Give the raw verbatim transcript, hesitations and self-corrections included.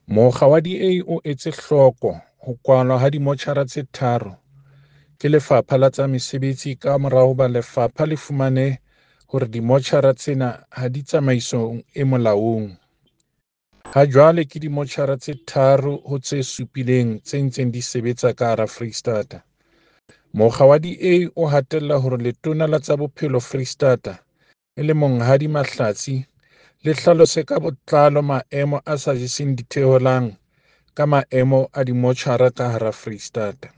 Mokga wa D A o etse hloko ho kwalwa ha dimotjhara tse tharo ke Lefapha la tsa Mesebetsi kamora hoba lefapha le fumane hore dimotjhara tsena ha di tsamaisong e molaong. Hajwale ke dimotjhara tse tharo ho tse supileng tse ntseng di sebetsa ka hara Freistata. Mokga wa D A o hatella hore Letona la tsa Bophelo Freistata, e leng Monghadi Mahlatsi, le hlalose ka botlalo maemo a sa jeseng ditheohelang ka maemo a dimotjhara ka hara Freistata.